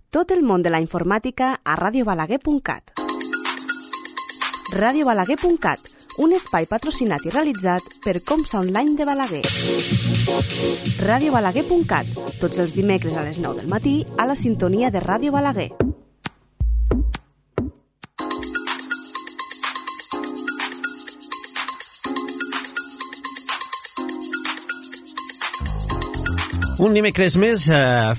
Tot el món de la informàtica a radiobalaguer.cat. radiobalaguer.cat, un espai patrocinat i realitzat per Comsa Online de Balaguer. radiobalaguer.cat, tots els dimecres a les 9 del matí a la sintonia de Ràdio Balaguer. Un dimecres més,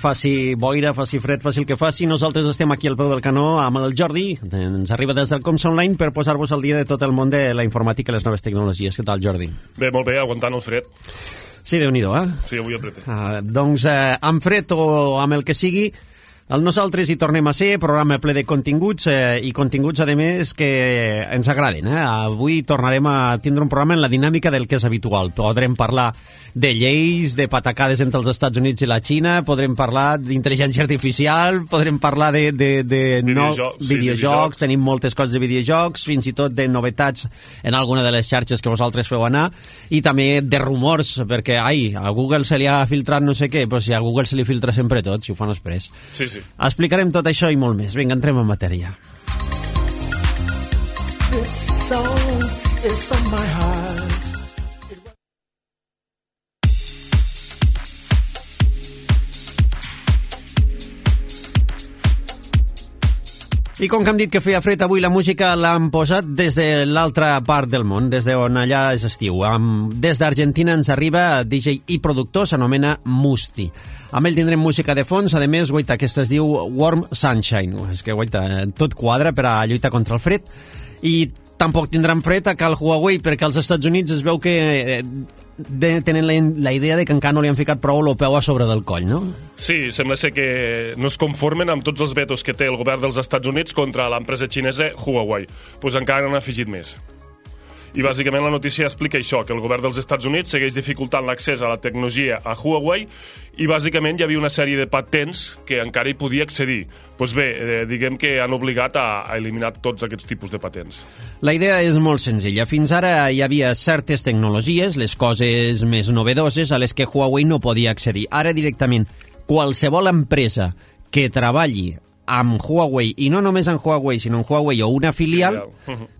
faci boira, faci fred, faci el que faci, nosaltres estem aquí al peu del canó amb el Jordi, ens arriba des del Comsa Online per posar-vos al dia de tot el món de la informàtica i les noves tecnologies. Què tal, Jordi? Bé, molt bé, aguantant el fred. Sí, Déu-n'hi-do, Sí, avui aprete. Doncs amb fred o amb el que sigui, nosaltres hi tornem a ser, programa ple de continguts i continguts, a més, que ens agraden. Avui tornarem a tindre un programa en la dinàmica del que és habitual. Podrem parlar de lleis, de patacades entre els Estats Units i la Xina, podrem parlar d'intel·ligència artificial, podrem parlar de videojocs, tenim moltes coses de videojocs, fins i tot de novetats en alguna de les xarxes que vosaltres feu anar, i també de rumors, perquè a Google se li ha filtrat no sé què, però si a Google se li filtra sempre tot, si ho fan després. Sí, sí. Explicarem tot això i molt més. Vinga, entrem en matèria. This song is from my heart. I com que hem dit que feia fred, avui la música l'han posat des de l'altra part del món, des d'on allà és estiu. Des d'Argentina ens arriba DJ i productor, s'anomena Musti. Amb ell tindrem música de fons, a més, guaita, aquesta es diu Warm Sunshine. És que, guaita, tot quadra per a lluitar contra el fred. I tampoc tindran fred a cal Huawei, perquè als Estats Units es veu que tenen la idea de que encara no li han ficat prou el peu a sobre del coll, no? Sí, sembla ser que no es conformen amb tots els vetos que té el govern dels Estats Units contra l'empresa xinesa Huawei. Doncs encara n'han afegit més. I bàsicament la notícia explica això, que el govern dels Estats Units segueix dificultant l'accés a la tecnologia a Huawei i bàsicament hi havia una sèrie de patents que encara hi podia accedir. Doncs bé, diguem que han obligat a eliminar tots aquests tipus de patents. La idea és molt senzilla. Fins ara hi havia certes tecnologies, les coses més novedoses, a les que Huawei no podia accedir. Ara directament, qualsevol empresa que treballi amb Huawei, i no només amb Huawei, sinó amb Huawei o una filial,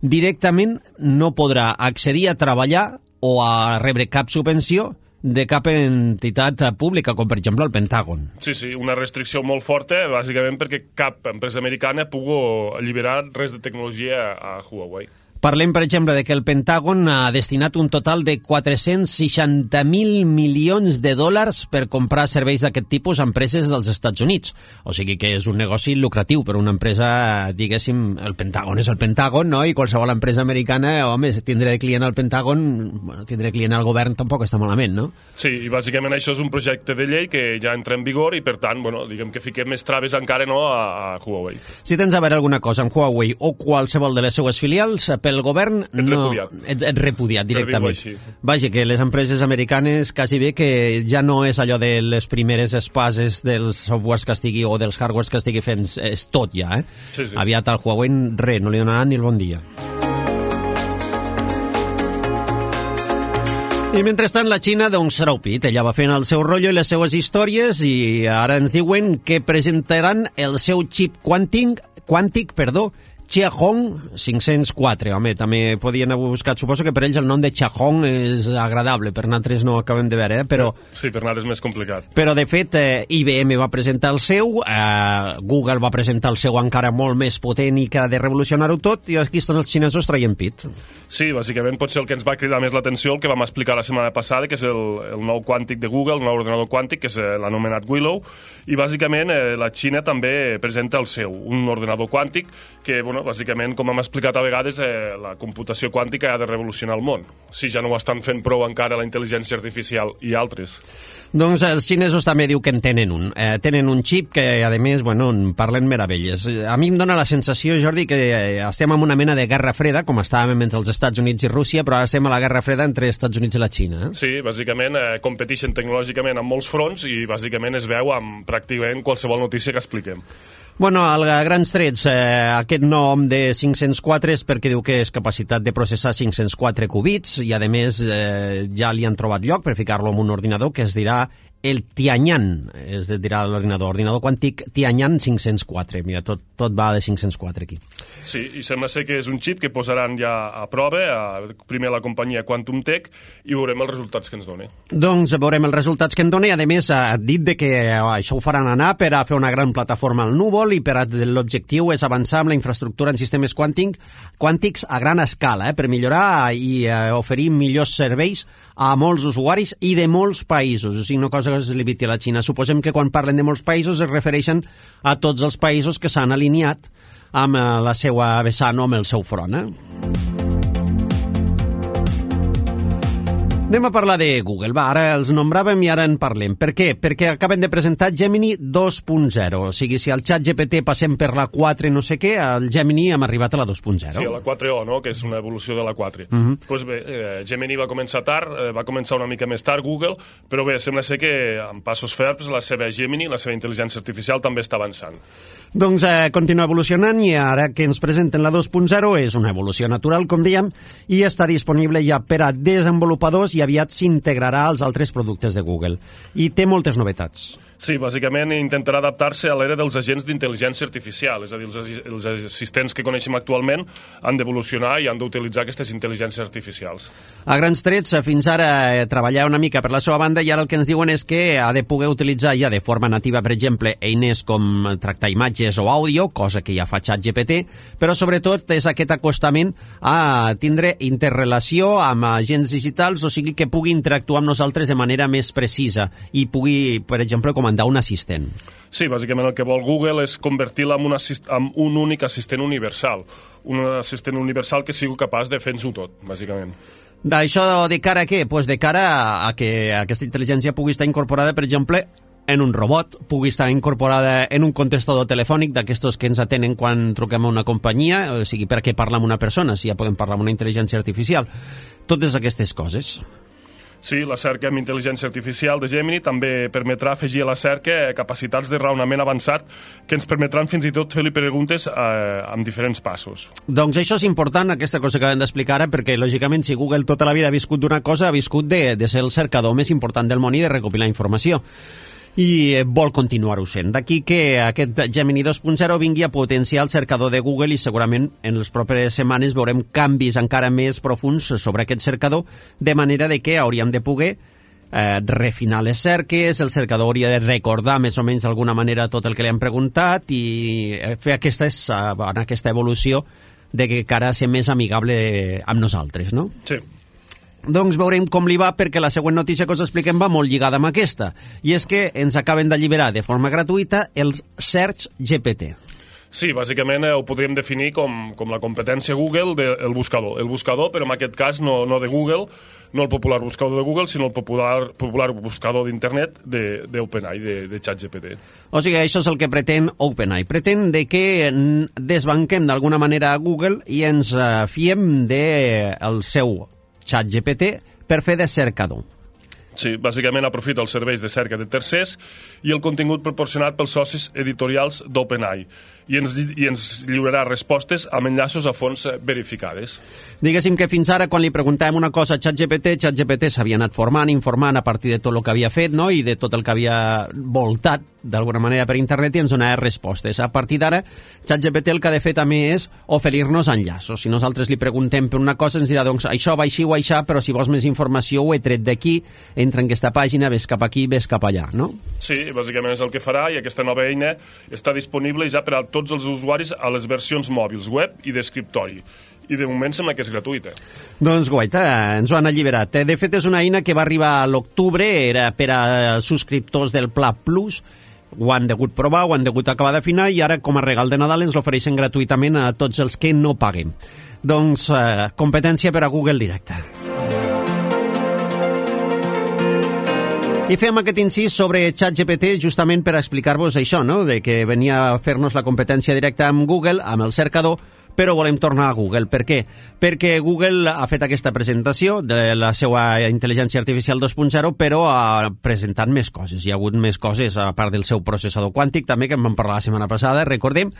directament no podrà accedir a treballar o a rebre cap subvenció de cap entitat pública, com per exemple el Pentàgon. Sí, sí, una restricció molt forta, bàsicament perquè cap empresa americana pugui alliberar res de tecnologia a Huawei. Parlem, per exemple, de que el Pentàgon ha destinat un total de 460.000 milions de dòlars per comprar serveis d'aquest tipus a empreses dels Estats Units. O sigui que és un negoci lucratiu per una empresa, diguéssim, el Pentàgon és el Pentàgon, no? I qualsevol empresa americana, home, tindre client al Pentàgon, bueno, tindre client al govern tampoc està malament, no? Sí, i bàsicament això és un projecte de llei que ja entra en vigor i, per tant, bueno, diguem que fiquem més traves encara no a Huawei. Si tens a veure alguna cosa amb Huawei o qualsevol de les seues filials, pel govern ets repudiat directament. Vaja, que les empreses americanes quasi bé que ja no és allò de les primeres espases dels softwares que estigui o dels hardwares que estigui fent, és tot ja, Sí, sí. Aviat al Huawei res, no li donaran ni el bon dia. I mentrestant la Xina, doncs, serà pit. Ella va fent el seu rotllo i les seues històries i ara ens diuen que presentaran el seu xip quàntic, Xiaohong 504. Home, també podien haver buscat, suposo que per ells el nom de Xiaohong és agradable, per nosaltres no ho acabem de veure, però... Sí, per nosaltres és més complicat. Però, de fet, IBM va presentar el seu, Google va presentar el seu encara molt més potent i que ha de revolucionar-ho tot, i aquí estan els xinesos traient pit. Sí, bàsicament pot ser el que ens va cridar més l'atenció, el que vam explicar la setmana passada, que és el nou quàntic de Google, el nou ordenador quàntic, que és l'anomenat Willow, i bàsicament la Xina també presenta el seu, un ordenador quàntic que, bueno, bàsicament, com hem explicat a vegades, la computació quàntica ha de revolucionar el món. Si ja no ho estan fent prou encara la intel·ligència artificial i altres. Doncs els xinesos també diu que en tenen un. Tenen un xip que, a més, bueno, parlen meravelles. A mi em dóna la sensació, Jordi, que estem en una mena de guerra freda, com estàvem entre els Estats Units i Rússia, però ara estem a la guerra freda entre Estats Units i la Xina. Sí, bàsicament competeixen tecnològicament en molts fronts i bàsicament es veu amb pràcticament qualsevol notícia que expliquem. Bueno, a grans trets, aquest nom de 504 és perquè diu que és capacitat de processar 504 qubits i, a més, ja li han trobat lloc per ficar-lo en un ordinador que es dirà el Tianyan, es dirà l'ordinador quàntic Tianyan 504. Mira, tot va de 504 aquí. Sí, i sembla ser que és un xip que posaran ja a prova, primer la companyia Quantum Tech, i veurem els resultats que ens doni. Doncs veurem els resultats que en doni. A més, ha dit que això ho faran anar per a fer una gran plataforma al núvol i per l'objectiu és avançar amb la infraestructura en sistemes quàntics a gran escala, per millorar i oferir millors serveis a molts usuaris i de molts països. O sigui, una cosa que es limiti a la Xina. Suposem que quan parlen de molts països es refereixen a tots els països que s'han alineat amb la seva vessant o amb el seu front. Anem a parlar de Google. Va, ara els nombràvem i ara en parlem. Per què? Perquè acaben de presentar Gemini 2.0. O sigui, si al ChatGPT passem per la 4 no sé què, al Gemini hem arribat a la 2.0. Sí, a la 4o, no?, que és una evolució de la 4. Pues bé, Gemini va començar tard, va començar una mica més tard Google, però bé, sembla ser que amb passos ferms la seva Gemini, la seva intel·ligència artificial, també està avançant. Doncs continua evolucionant i ara que ens presenten la 2.0 és una evolució natural, com dèiem, i està disponible ja per a desenvolupadors i aviat s'integrarà als altres productes de Google. I té moltes novetats. Sí, bàsicament intentarà adaptar-se a l'era dels agents d'intel·ligència artificial, és a dir, els assistents que coneixem actualment han d'evolucionar i han d'utilitzar aquestes intel·ligències artificials. A grans trets, fins ara treballar una mica per la seva banda i ara el que ens diuen és que ha de poder utilitzar ja de forma nativa, per exemple, eines com tractar imatges o àudio, cosa que ja fa ChatGPT, però sobretot és aquest acostament a tindre interrelació amb agents digitals, o sigui que pugui interactuar amb nosaltres de manera més precisa i pugui, per exemple, comandar un assistent. Sí, bàsicament el que vol Google és convertir-la en un únic assistent universal. Un assistent universal que sigui capaç de fer-nos-ho tot, bàsicament. D'això de cara a què? Pues de cara a que aquesta intel·ligència pugui estar incorporada, per exemple, en un robot, pugui estar incorporada en un contestador telefònic d'aquestos que ens atenen quan truquem a una companyia, o sigui, per què parlar amb una persona, si ja podem parlar amb una intel·ligència artificial. Totes aquestes coses. Sí, la cerca amb intel·ligència artificial de Gemini també permetrà afegir a la cerca capacitats de raonament avançat que ens permetran fins i tot fer-li preguntes amb diferents passos. Doncs això és important, aquesta cosa que acabem d'explicar ara, perquè lògicament si Google tota la vida ha viscut d'una cosa, ha viscut de ser el cercador més important del món i de recopilar informació. I vol continuar-ho sent. D'aquí que aquest Gemini 2.0 vingui a potenciar el cercador de Google i segurament en les properes setmanes veurem canvis encara més profuns sobre aquest cercador, de manera de que hauríem de poder refinar les cerques, el cercador hauria de recordar més o menys d'alguna manera tot el que li han preguntat i fer aquesta evolució de que cara a ser més amigable amb nosaltres, no? Sí. Doncs veurem com li va, perquè la següent notícia que us expliquem va molt lligada amb aquesta, i és que ens acaben d'alliberar de forma gratuïta el Search GPT. Sí, bàsicament ho podríem definir com la competència Google del buscador. El buscador, però en aquest cas no de Google, no el popular buscador de Google, sinó el popular buscador d'internet d'OpenAI, de ChatGPT. O sigui, això és el que pretén OpenAI. Pretén de que desbanquem d'alguna manera a Google i ens fiem del seu ChatGPT per fer de cercador. Sí, bàsicament aprofita els serveis de cerca de tercers i el contingut proporcionat pels socis editorials d'OpenAI i ens lliurarà respostes amb enllaços a fonts verificades. Diguéssim que fins ara, quan li preguntàvem una cosa a ChatGPT s'havia anat informant a partir de tot el que havia fet, no?, i de tot el que havia voltat d'alguna manera per internet i ens donava respostes. A partir d'ara, ChatGPT el que ha de fer també és oferir-nos enllaços. Si nosaltres li preguntem per una cosa, ens dirà, doncs, això va així o aixà, però si vols més informació ho he tret d'aquí, entra en aquesta pàgina, ves cap aquí, ves cap allà, no? Sí, bàsicament és el que farà i aquesta nova eina està disponible ja per a tots els usuaris a les versions mòbils, web i d'escriptori. I de moment sembla que és gratuïta. Doncs guaita, ens ho han alliberat. De fet, és una eina que va arribar a l'octubre, era per a subscriptors del Pla Plus, ho han degut provar, ho han degut acabar d'afinar i ara, com a regal de Nadal, ens l'ofereixen gratuïtament a tots els que no paguen. Doncs, competència per a Google directa. I fem aquest incís sobre ChatGPT justament per explicar-vos això, no?, de que venia a fer-nos la competència directa amb Google, amb el cercador, però volem tornar a Google. Per què? Perquè Google ha fet aquesta presentació de la seva intel·ligència artificial 2.0, però ha presentat més coses. Hi ha hagut més coses, a part del seu processador quàntic, també, que en vam parlar la setmana passada, recordem.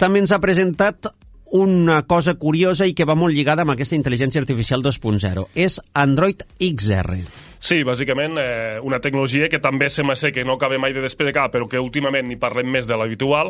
També ens ha presentat una cosa curiosa i que va molt lligada amb aquesta intel·ligència artificial 2.0. És Android XR. Sí, bàsicament una tecnologia que també sembla ser que no acaba mai de despegar, però que últimament hi parlem més de l'habitual,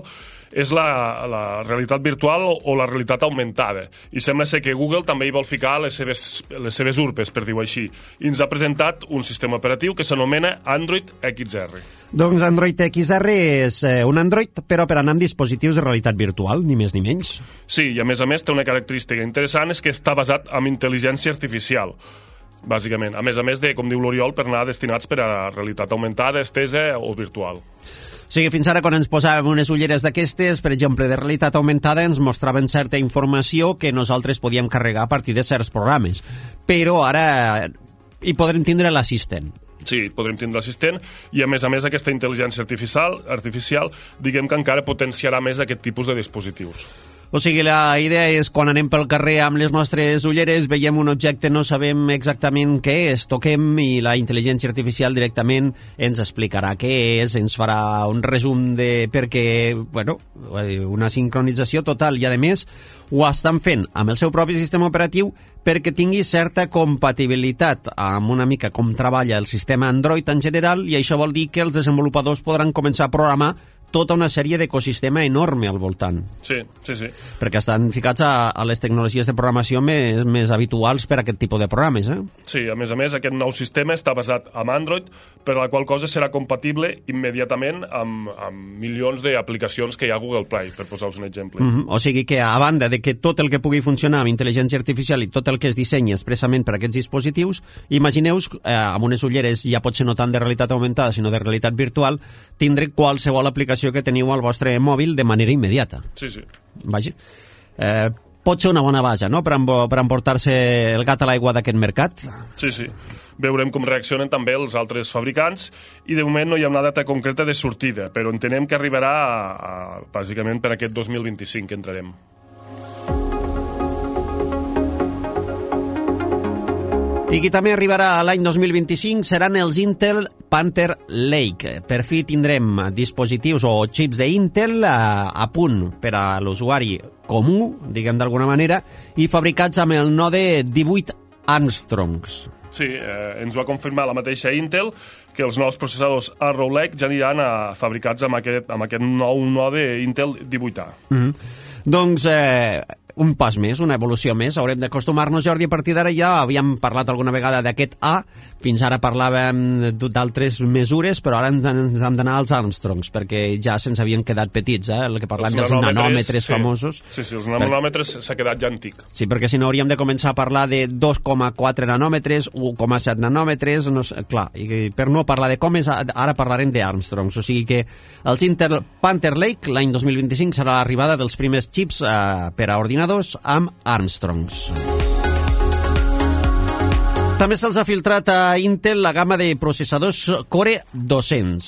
és la realitat virtual o la realitat augmentada. I sembla ser que Google també hi vol ficar les seves urpes, per dir-ho així. I ens ha presentat un sistema operatiu que s'anomena Android XR. Doncs Android XR és un Android, però per anar amb dispositius de realitat virtual, ni més ni menys. Sí, i a més té una característica interessant, és que està basat en intel·ligència artificial, bàsicament. A més de, com diu l'Oriol, per anar destinats per a realitat augmentada, estesa o virtual. O sigui, fins ara, quan ens posàvem unes ulleres d'aquestes, per exemple, de realitat augmentada, ens mostraven certa informació que nosaltres podíem carregar a partir de certs programes. Però ara hi podrem tindre l'assistent. Sí, podrem tindre l'assistent i, a més, aquesta intel·ligència artificial diguem que encara potenciarà més aquest tipus de dispositius. O sigui, la idea és quan anem pel carrer amb les nostres ulleres, veiem un objecte, no sabem exactament què és, toquem i la intel·ligència artificial directament ens explicarà què és, ens farà un resum de perquè, bueno, una sincronització total i, a més, ho estan fent amb el seu propi sistema operatiu perquè tingui certa compatibilitat amb una mica com treballa el sistema Android en general, i això vol dir que els desenvolupadors podran començar a programar tota una sèrie d'ecosistema enorme al voltant. Sí. Perquè estan ficats a les tecnologies de programació més habituals per a aquest tipus de programes, eh? Sí, a més, aquest nou sistema està basat en Android, per la qual cosa serà compatible immediatament amb milions d'aplicacions que hi ha a Google Play, per posar-vos un exemple. O sigui que, a banda de que tot el que pugui funcionar amb intel·ligència artificial i tot el que es dissenya expressament per a aquests dispositius, imagineu-vos, amb unes ulleres ja pot ser no tant de realitat augmentada, sinó de realitat virtual, tindre qualsevol aplicació que teniu al vostre mòbil de manera immediata. Sí. Vaja. Pot ser una bona base, no?, per emportar-se el gat a l'aigua d'aquest mercat. Sí. Veurem com reaccionen també els altres fabricants i de moment no hi ha una data concreta de sortida, però entenem que arribarà bàsicament per aquest 2025 que entrarem. I qui també arribarà l'any 2025 seran els Intel Panther Lake. Per fi tindrem dispositius o xips d'Intel a punt per a l'usuari comú, diguem d'alguna manera, i fabricats amb el node 18 Armstrongs. Sí, ens ho ha confirmat la mateixa Intel, que els nous processadors Arrow Lake ja aniran fabricats amb aquest nou node Intel 18A. Doncs un pas més, una evolució més. Haurem d'acostumar-nos, Jordi, a partir d'ara ja havíem parlat alguna vegada d'aquest A, fins ara parlàvem d'altres mesures, però ara ens hem d'anar als Armstrongs, perquè ja se'ns havien quedat petits, el que parlem dels nanòmetres famosos. Sí, els nanòmetres s'ha quedat ja antic. Sí, perquè si no hauríem de començar a parlar de 2,4 nanòmetres, 1,7 nanòmetres, clar, i per no parlar de comes, ara parlarem d'Armstrongs, o sigui que els Intel Panther Lake l'any 2025 serà l'arribada dels primers xips per a ordinadors amb Armstrongs. També se'ls ha filtrat a Intel la gamma de processadors Core 200.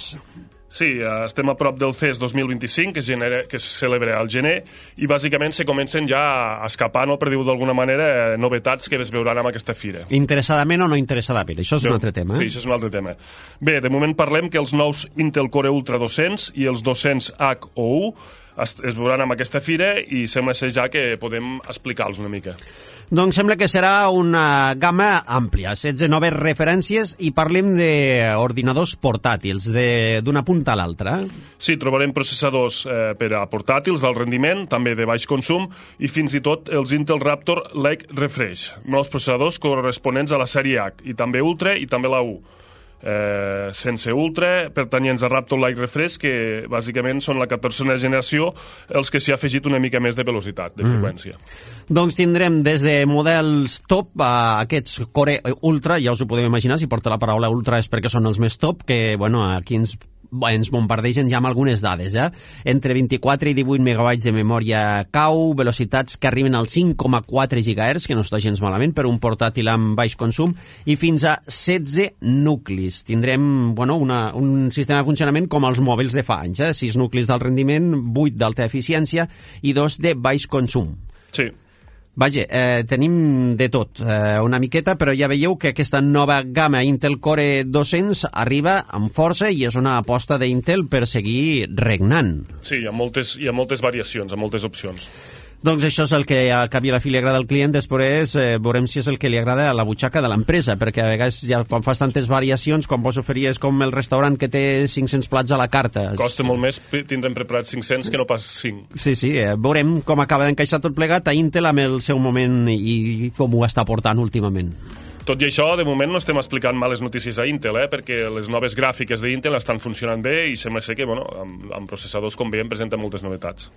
Sí, estem a prop del CES 2025, que es celebra al gener, i bàsicament se comencen ja a escapar, no, per dir-ho d'alguna manera, novetats que es veuran amb aquesta fira. Interessadament o no interessadament? Això és un altre tema. Sí, això és un altre tema. Bé, de moment parlem que els nous Intel Core Ultra 200 i els 200H o U es veuran amb aquesta fira i sembla ser ja que podem explicar-los una mica. Doncs sembla que serà una gamma àmplia, 16 noves referències, i parlem d'ordinadors portàtils, d'una punta a l'altra. Sí, trobarem processadors per a portàtils d'alt rendiment, també de baix consum, i fins i tot els Intel Raptor Lake Refresh, nous processadors corresponents a la sèrie H, i també Ultra i també la U. Sense Ultra, pertanyents a Raptor Lake Refresh, que bàsicament són la 14a generació, els que s'hi ha afegit una mica més de velocitat, de freqüència. Doncs tindrem des de models top a aquests Core Ultra, ja us ho podeu imaginar, si porta la paraula Ultra és perquè són els més top, que bueno, aquí ens bombardegen ja amb algunes dades, entre 24 i 18 megabytes de memòria cau, velocitats que arriben als 5,4 GHz, que no està gens malament per un portàtil amb baix consum, i fins a 16 nuclis. Tindrem un sistema de funcionament com els mòbils de fa anys, 6 nuclis d'alt rendiment, 8 d'alta eficiència i 2 de baix consum. Sí. Vaja, tenim de tot, una miqueta, però ja veieu que aquesta nova gamma Intel Core 200 arriba amb força i és una aposta d'Intel per seguir regnant. Sí, hi ha moltes variacions, hi ha moltes opcions. Doncs això és el que a cap i a la fi li agrada al client, després veurem si és el que li agrada a la butxaca de l'empresa, perquè a vegades ja quan fas tantes variacions, quan vos oferia és com el restaurant que té 500 plats a la carta. Costa molt més tindre'n preparats 500 que no pas 5. Sí, veurem com acaba d'encaixar tot plegat a Intel amb el seu moment i com ho està portant últimament. Tot i això, de moment no estem explicant males notícies a Intel, perquè les noves gràfiques d'Intel estan funcionant bé i sembla ser que amb processadors, com veiem, presenten moltes novetats.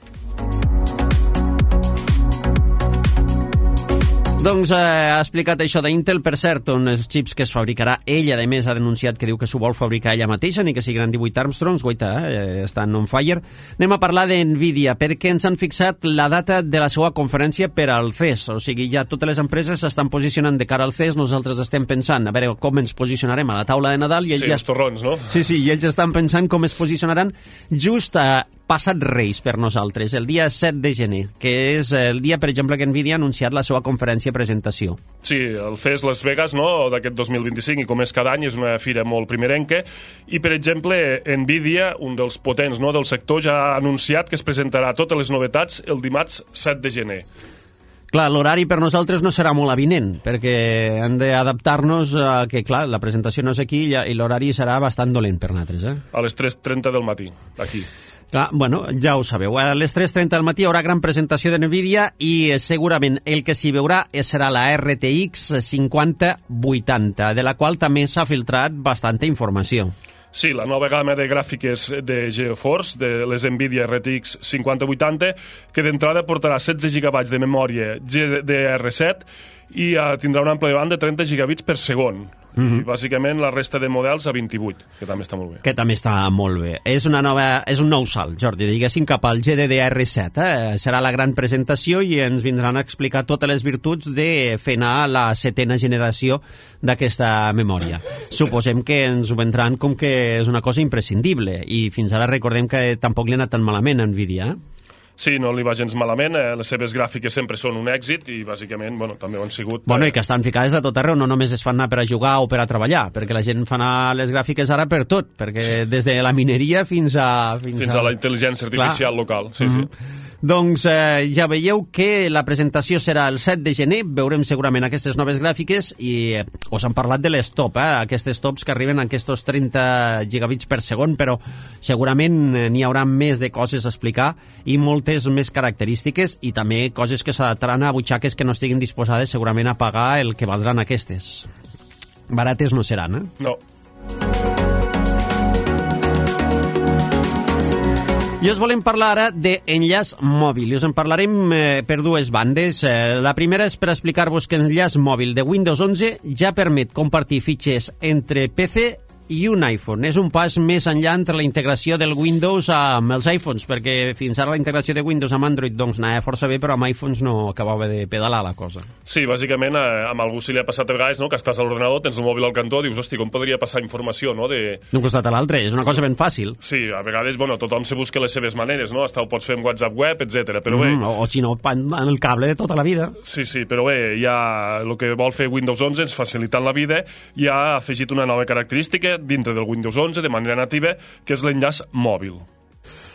Doncs ha explicat això d'Intel, per cert, uns xips que es fabricarà ella, a més ha denunciat que diu que s'ho vol fabricar ella mateixa, ni que siguin 18 Armstrongs, estan on fire. Anem a parlar d'NVIDIA, perquè ens han fixat la data de la seva conferència per al CES, o sigui, ja totes les empreses s'estan posicionant de cara al CES, nosaltres estem pensant a veure com ens posicionarem a la taula de Nadal, i ells els torrons, no? Sí, i ells estan pensant com es posicionaran just a passat Reis per nosaltres, el dia 7 de gener, que és el dia, per exemple, que NVIDIA ha anunciat la seva conferència presentació. Sí, el CES Las Vegas, no?, d'aquest 2025, i com és cada any, és una fira molt primerenca, i, per exemple, NVIDIA, un dels potents, no?, del sector, ja ha anunciat que es presentarà totes les novetats el dimarts 7 de gener. Clar, l'horari per nosaltres no serà molt avinent, perquè hem d'adaptar-nos a que, clar, la presentació no és aquí i l'horari serà bastant dolent per nosaltres, A les 3:30 del matí, aquí. Clar, bueno, ja ho sabeu. A les 3:30 del matí hi haurà gran presentació de NVIDIA i segurament el que s'hi veurà serà la RTX 5080, de la qual també s'ha filtrat bastanta informació. Sí, la nova gamma de gràfiques de GeForce, de les NVIDIA RTX 5080, que d'entrada portarà 16 GB de memòria GDDR7 i tindrà un ample de banda de 30 gigabits per segon. I bàsicament la resta de models a 28, que també està molt bé. Que també està molt bé. És un nou salt, Jordi, diguéssim, cap al GDDR7. Serà la gran presentació i ens vindran a explicar totes les virtuts de fer anar la 7ª generació d'aquesta memòria. Suposem que ens ho vendran com que és una cosa imprescindible i fins ara recordem que tampoc li ha anat tan malament a NVIDIA, Sí, no li va gens malament, les seves gràfiques sempre són un èxit i bàsicament, també ho han sigut... I que estan ficades a tot arreu, no només es fan anar per a jugar o per a treballar, perquè la gent fa anar les gràfiques ara per tot, perquè des de la mineria fins a la intel·ligència artificial local, sí. Doncs ja veieu que la presentació serà el 7 de gener, veurem segurament aquestes noves gràfiques i us han parlat de les top, aquestes tops que arriben a aquests 30 gigabits per segon, però segurament n'hi haurà més de coses a explicar i moltes més característiques i també coses que s'adaptaran a butxaques que no estiguin disposades segurament a pagar el que valdran aquestes. Barates no seran, No. I us volem parlar ara d'enllaç mòbil, i us en parlarem per dues bandes. La primera és per explicar-vos que l'enllaç mòbil de Windows 11 ja permet compartir fitxers entre PC i un iPhone. És un pas més enllà entre la integració del Windows amb els iPhones, perquè fins ara la integració de Windows amb Android doncs anava força bé, però amb iPhones no acabava de pedalar la cosa. Sí, bàsicament amb algú si li ha passat a vegades, que estàs a l'ordenador, tens el mòbil al cantó, dius, hosti, com podria passar informació, d'un costat a l'altre, és una cosa ben fàcil. Sí, a vegades, tothom se busca les seves maneres, hasta ho pots fer amb WhatsApp web, etc. Però bé... O si no, en el cable de tota la vida. Sí, però bé, ja el que vol fer Windows 11 ens facilitant la vida i ha afegit una nova característica dintre del Windows 11 de manera nativa, que és l'enllaç mòbil.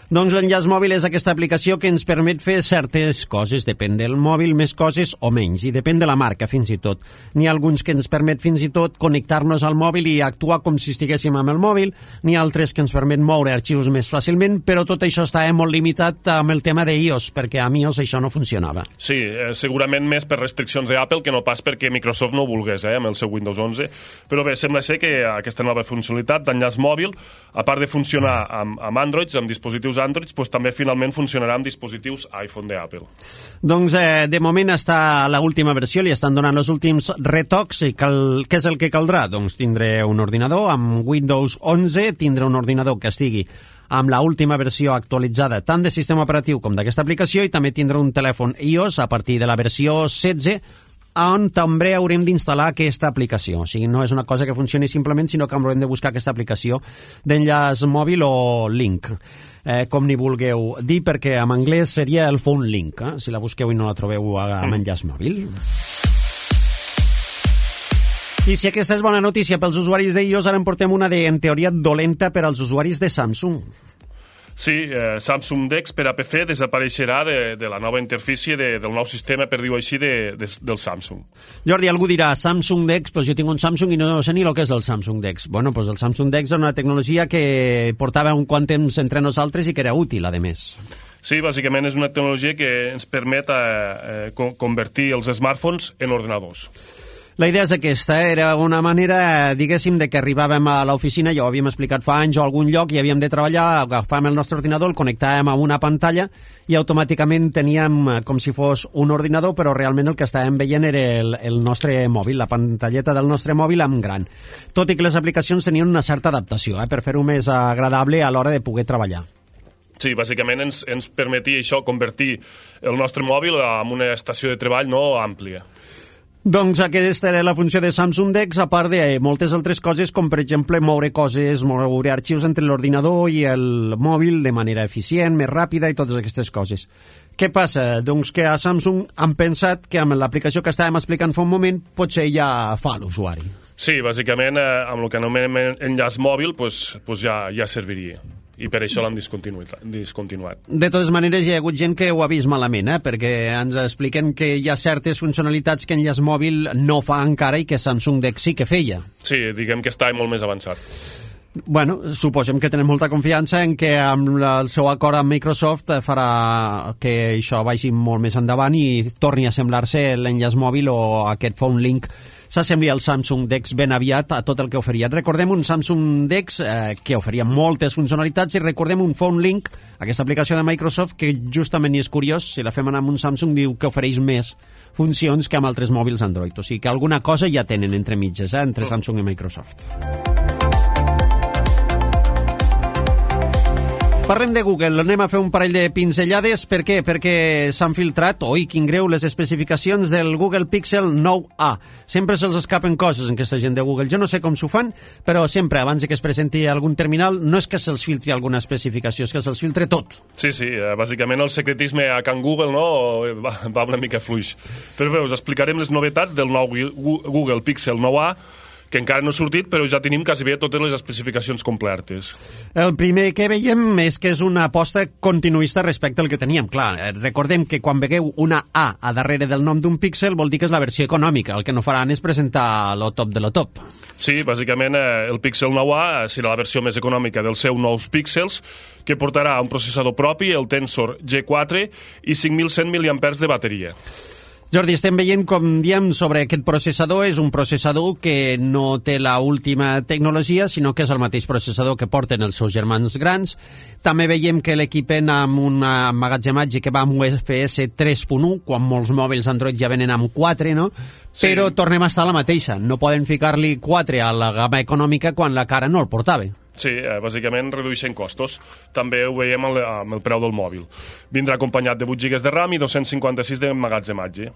Doncs l'enllaç mòbil és aquesta aplicació que ens permet fer certes coses, depèn del mòbil, més coses o menys, i depèn de la marca fins i tot. N'hi ha alguns que ens permet fins i tot connectar-nos al mòbil i actuar com si estiguéssim amb el mòbil, n'hi ha altres que ens permet moure arxius més fàcilment, però tot això està molt limitat amb el tema d'iOS, perquè a iOS això no funcionava. Sí, segurament més per restriccions d'Apple que no pas perquè Microsoft no ho volgués, amb el seu Windows 11, però bé, sembla ser que aquesta nova funcionalitat d'enllaç mòbil, a part de funcionar amb Androids, amb dispositius Android, doncs també finalment funcionarà amb dispositius iPhone d'Apple. Doncs de moment està a l'última versió, li estan donant els últims retocs i què és el que caldrà? Doncs tindré un ordinador amb Windows 11, tindré un ordinador que estigui amb la última versió actualitzada tant de sistema operatiu com d'aquesta aplicació i també tindré un telèfon iOS a partir de la versió 16 on també haurem d'instal·lar aquesta aplicació. O sigui, no és una cosa que funcioni simplement, sinó que haurem de buscar aquesta aplicació d'enllaç mòbil o link, com n'hi vulgueu dir, perquè en anglès seria el phone link, si la busqueu i no la trobeu amb enllaç mòbil. I si aquesta és bona notícia pels usuaris d'iOS, ara en portem una en teoria dolenta per als usuaris de Samsung. Sí, Samsung DeX per a PC desapareixerà de la nova interfície del nou sistema, per dir-ho així, del Samsung. Jordi, algú dirà Samsung DeX, doncs jo tinc un Samsung i no sé ni el que és el Samsung DeX. Bueno, doncs el Samsung DeX és una tecnologia que portava un quant temps entre nosaltres i que era útil, a més. Sí, bàsicament és una tecnologia que ens permet convertir els smartphones en ordinadors. La idea és aquesta, era una manera, diguéssim, de que arribàvem a l'oficina, ja ho havíem explicat fa anys, o a algun lloc, i havíem de treballar, agafàvem el nostre ordinador, el connectàvem a una pantalla i automàticament teníem com si fos un ordinador, però realment el que estàvem veient era el nostre mòbil, la pantalleta del nostre mòbil en gran. Tot i que les aplicacions tenien una certa adaptació, per fer-ho més agradable a l'hora de poder treballar. Sí, bàsicament ens permetia això, convertir el nostre mòbil en una estació de treball no àmplia. Doncs aquesta era la funció de Samsung DeX, a part de moltes altres coses, com per exemple moure coses, moure arxius entre l'ordinador i el mòbil de manera eficient, més ràpida i totes aquestes coses. Què passa? Doncs que a Samsung han pensat que amb l'aplicació que estàvem explicant fa un moment potser ja fa l'usuari. Sí, bàsicament amb el que anomenem enllaç mòbil ja serviria. I per això l'han discontinuat. De totes maneres, hi ha hagut gent que ho ha vist malament, perquè ens expliquen que hi ha certes funcionalitats que enllaç mòbil no fa encara i que Samsung DeX sí que feia. Sí, diguem que està molt més avançat. Bueno, suposem que tenen molta confiança en que amb el seu acord amb Microsoft farà que això vagi molt més endavant i torni a semblar-se l'enllaç mòbil o aquest phone link s'assembli al Samsung DeX ben aviat a tot el que oferia. Recordem un Samsung DeX que oferia moltes funcionalitats i recordem un Phone Link, aquesta aplicació de Microsoft que justament, i és curiós, si la fem anar amb un Samsung, diu que ofereix més funcions que amb altres mòbils Android. O sigui que alguna cosa ja tenen entre mitges, entre Samsung i Microsoft. Parlem de Google, anem a fer un parell de pinzellades. Per què? Perquè s'han filtrat, oi, quin greu, les especificacions del Google Pixel 9a. Sempre se'ls escapen coses en aquesta gent de Google. Jo no sé com s'ho fan, però sempre, abans que es presenti algun terminal, no és que se'ls filtri alguna especificació, és que se'ls filtre tot. Sí, bàsicament el secretisme a Can Google va una mica fluix. Però bé, us explicarem les novetats del nou Google Pixel 9a, que encara no ha sortit, però ja tenim quasi bé totes les especificacions completes. El primer que veiem és que és una aposta continuista respecte al que teníem. Clar, recordem que quan vegueu una A darrere del nom d'un píxel vol dir que és la versió econòmica. El que no faran és presentar lo top de lo top. Sí, bàsicament el Pixel 9a serà la versió més econòmica dels seus nous píxels, que portarà un processador propi, el Tensor G4, i 5.100 mAh de bateria. Jordi, estem veient, com diem, sobre aquest processador. És un processador que no té la última tecnologia, sinó que és el mateix processador que porten els seus germans grans. També veiem que l'equipen amb un emmagatzematge que va amb UFS 3.1, quan molts mòbils Android ja venen amb 4, no? Sí. Però tornem a estar a la mateixa. No poden ficar-li 4 a la gamma econòmica quan la cara no el portava. Sí, bàsicament redueixen costos. També ho veiem amb el preu del mòbil. Vindrà acompanyat de 8 GB de RAM i 256 d'emmagatzematge.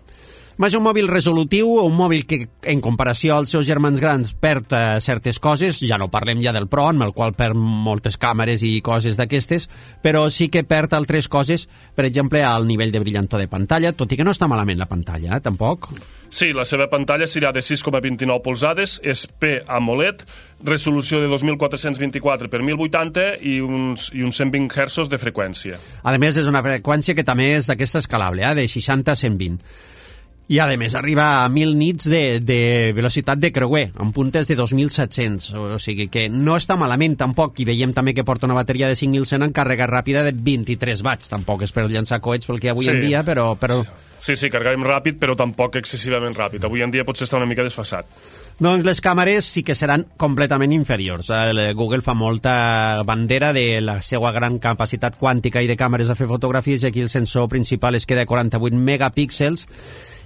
Va ser un mòbil resolutiu, un mòbil que, en comparació als seus germans grans, perd certes coses. Ja no parlem ja del Pro, amb el qual perd moltes càmeres i coses d'aquestes, però sí que perd altres coses, per exemple, al nivell de brillantor de pantalla, tot i que no està malament la pantalla, tampoc. Sí, la seva pantalla serà de 6,29 polzades, és P-AMOLED, resolució de 2424 per 1080 i uns 120 Hz de freqüència. A més, és una freqüència que també és d'aquesta escalable, de 60 a 120. I, a més, arriba a 1.000 nits de velocitat de creuer, amb puntes de 2.700. O sigui que no està malament, tampoc. I veiem també que porta una bateria de 5.100 en càrrega ràpida de 23 watts. Tampoc és per llançar coets pel que avui en dia, però... Sí, carregarem ràpid, però tampoc excessivament ràpid. Avui en dia potser està una mica desfasat. Doncs les càmeres sí que seran completament inferiors. Google fa molta bandera de la seva gran capacitat quàntica i de càmeres a fer fotografies, i aquí el sensor principal es queda a 48 megapíxels,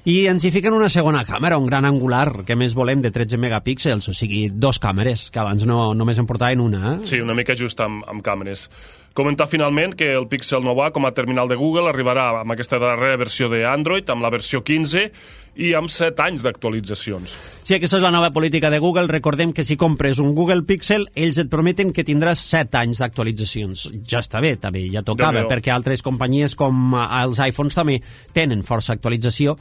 i ens hi fiquen una segona càmera, un gran angular, que més volem, de 13 megapíxels, o sigui, 2 càmeres, que abans només en portaven una. Sí, una mica just amb càmeres. Comentar finalment que el Pixel 9a com a terminal de Google arribarà amb aquesta darrera versió d'Android, amb la versió 15 i amb 7 anys d'actualitzacions. Sí, aquesta és la nova política de Google. Recordem que si compres un Google Pixel, ells et prometen que tindràs 7 anys d'actualitzacions. Ja està bé, també, ja tocava, perquè altres companyies com els iPhones també tenen força actualització,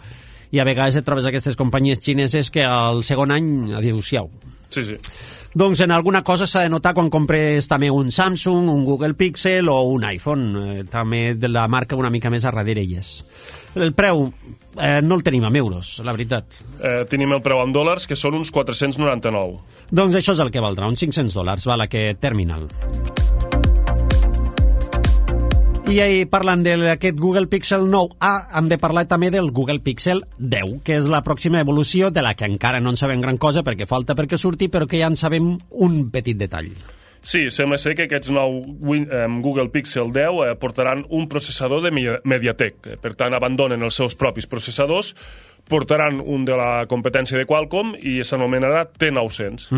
i a vegades et trobes aquestes companyies xineses que al segon any, adéu-siau. Sí. Doncs en alguna cosa s'ha de notar quan compres també un Samsung, un Google Pixel o un iPhone, també de la marca una mica més a darrere hi és. El preu no el tenim en euros, la veritat. Tenim el preu en dòlars, que són uns 499. Doncs això és el que valdrà, uns $500, val, aquest terminal. I parlant d'aquest Google Pixel 9a, hem de parlar també del Google Pixel 10, que és la pròxima evolució de la que encara no en sabem gran cosa perquè falta perquè surti, però que ja en sabem un petit detall. Sí, sembla ser que aquests nou Google Pixel 10 portaran un processador de MediaTek. Per tant, abandonen els seus propis processadors, portaran un de la competència de Qualcomm i s'anomenarà T900.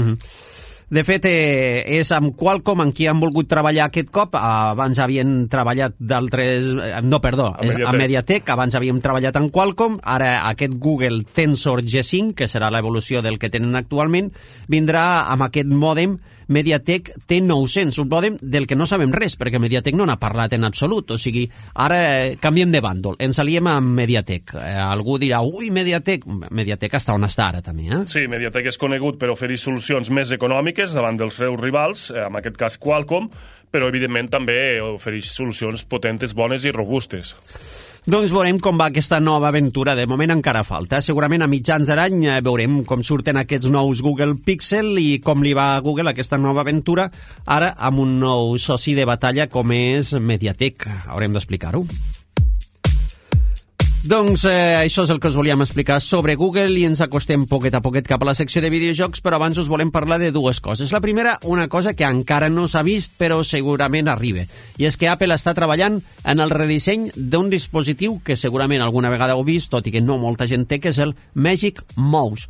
De fet, és amb Qualcomm amb qui han volgut treballar aquest cop. Abans havien treballat d'altres... No, perdó, és a MediaTek. Abans havíem treballat amb Qualcomm. Ara aquest Google Tensor G5, que serà l'evolució del que tenen actualment, vindrà amb aquest mòdem MediaTek T900, un mòdem del que no sabem res, perquè MediaTek no n'ha parlat en absolut. O sigui, ara canviem de bàndol. Ens aliem amb MediaTek. Algú dirà, ui, MediaTek. MediaTek està on està ara, també, eh? Sí, MediaTek és conegut per oferir solucions més econòmiques davant dels seus rivals, en aquest cas Qualcomm, però evidentment també ofereix solucions potentes, bones i robustes. Doncs veurem com va aquesta nova aventura. De moment encara falta. Segurament a mitjans de l'any veurem com surten aquests nous Google Pixel i com li va a Google aquesta nova aventura, ara amb un nou soci de batalla com és MediaTek. Haurem d'explicar-ho. Doncs això és el que us volíem explicar sobre Google i ens acostem poquet a poquet cap a la secció de videojocs, però abans us volem parlar de dues coses. La primera, una cosa que encara no s'ha vist però segurament arriba, i és que Apple està treballant en el redisseny d'un dispositiu que segurament alguna vegada heu vist, tot i que no molta gent té, que és el Magic Mouse.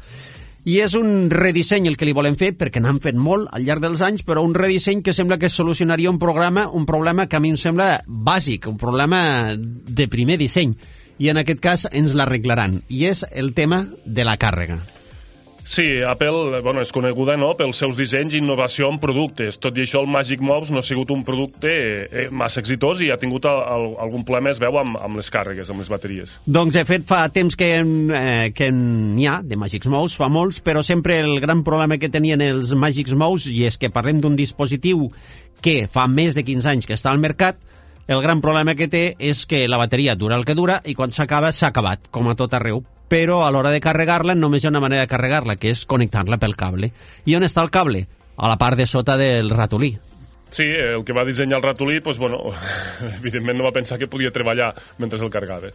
I és un redisseny el que li volem fer, perquè n'han fet molt al llarg dels anys, però un redisseny que sembla que solucionaria un problema que a mi em sembla bàsic, un problema de primer disseny. I en aquest cas ens l'arreglaran, i és el tema de la càrrega. Sí, Apple és coneguda pels seus dissenys i innovació en productes. Tot i això, el Magic Mouse no ha sigut un producte massa exitós i ha tingut algun problema, es veu, amb les càrregues, amb les bateries. Doncs, de fet, fa temps que n'hi ha de Magic Mouse, fa molts, però sempre el gran problema que tenien els Magic Mouse, i és que parlem d'un dispositiu que fa més de 15 anys que està al mercat, el gran problema que té és que la bateria dura el que dura i quan s'acaba, s'ha acabat, com a tot arreu. Però a l'hora de carregar-la només hi ha una manera de carregar-la, que és connectar-la pel cable. I on està el cable? A la part de sota del ratolí. Sí, el que va dissenyar el ratolí, evidentment no va pensar que podia treballar mentre el carregava.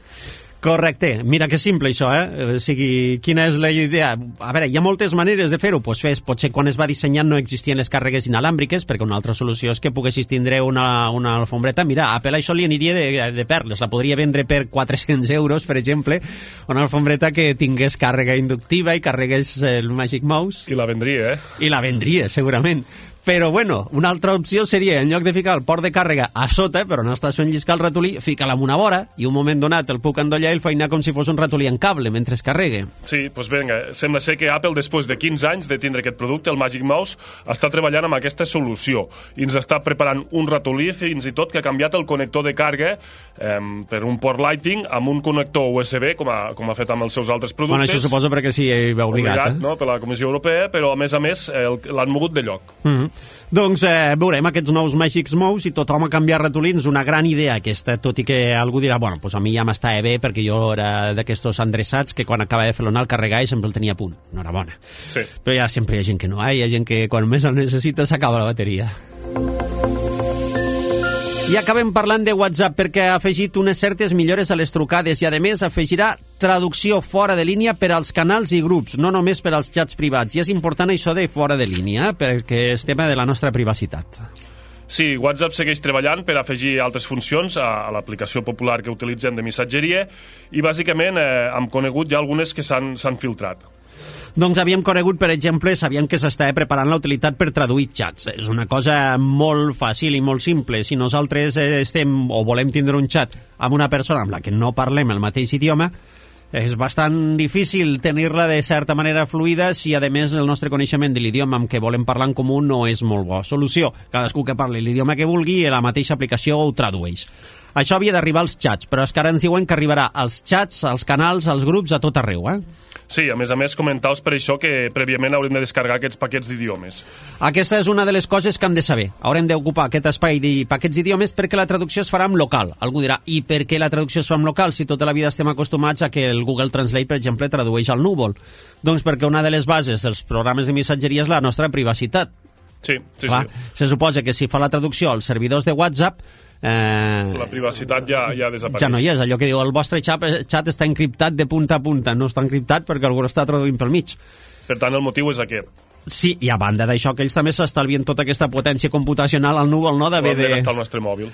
Correcte. Mira que simple això, eh? O sigui, quina és la idea? A veure, hi ha moltes maneres de fer-ho. Potser quan es va dissenyar no existien les càrregues inalàmbriques, perquè una altra solució és que poguessis tindre una alfombreta. Mira, a Apple això li aniria de perles. La podria vendre per 400 euros, per exemple, una alfombreta que tingués càrrega inductiva i carregués el Magic Mouse. I la vendria, eh? I la vendria, segurament. Però, una altra opció seria, en lloc de ficar el port de càrrega a sota, però no estàs fent lliscar el ratolí, fica-la en una vora i un moment donat el puc endollar i el feinar com si fos un ratolí en cable mentre es carregue. Sí, doncs vinga, sembla ser que Apple, després de 15 anys de tindre aquest producte, el Magic Mouse, està treballant amb aquesta solució i ens està preparant un ratolí fins i tot que ha canviat el connector de càrrega per un port Lightning amb un connector USB, com ha fet amb els seus altres productes. Això suposo perquè sí, va obligat. No? Per la Comissió Europea, però a més l'han mogut de lloc. Doncs veurem aquests nous Magic Mouse i tothom a canviar ratolins, una gran idea aquesta, tot i que algú dirà, a mi ja m'estava bé perquè jo era d'aquestos endreçats que quan acaba de fer-lo anar al carregar i sempre el tenia a punt. Enhorabona. Sí. Però ja sempre hi ha gent que no, hi ha gent que quan més el necessita s'acaba la bateria. I acabem parlant de WhatsApp perquè ha afegit unes certes millores a les trucades i, a més, afegirà traducció fora de línia per als canals i grups, no només per als xats privats. I és important això de fora de línia, perquè és tema de la nostra privacitat. Sí, WhatsApp segueix treballant per afegir altres funcions a l'aplicació popular que utilitzem de missatgeria i, bàsicament, hem conegut ja algunes que s'han filtrat. Doncs havíem conegut, per exemple, sabíem que s'estava preparant la utilitat per traduir xats. És una cosa molt fàcil i molt simple. Si nosaltres estem o volem tindre un xat amb una persona amb la que no parlem el mateix idioma, és bastant difícil tenir-la de certa manera fluida si, a més, el nostre coneixement de l'idioma amb què volem parlar en comú no és molt bo. Solució: cadascú que parli l'idioma que vulgui i la mateixa aplicació ho tradueix. Això havia d'arribar als xats, però és que ara ens diuen que arribarà als xats, als canals, als grups, a tot arreu, Sí, a més, comentaos per això que prèviament haurem de descarregar aquests paquets d'idiomes. Aquesta és una de les coses que hem de saber. Haurem d'ocupar aquest espai de paquets d'idiomes perquè la traducció es farà en local. Algú dirà, i per què la traducció es fa en local si tota la vida estem acostumats a que el Google Translate, per exemple, tradueix al núvol? Doncs perquè una de les bases dels programes de missatgeria és la nostra privacitat. Sí. Se suposa que si fa la traducció als servidors de WhatsApp la privacitat ja desapareix. Ja no hi és, allò que diu el vostre xat està encriptat de punta a punta, no està encriptat perquè algú està traduint pel mig. Per tant, el motiu és aquest. Sí, i a banda d'això, que ells també s'estalvien tota aquesta potència computacional al núvol, no? D'haver de gastar el nostre mòbil.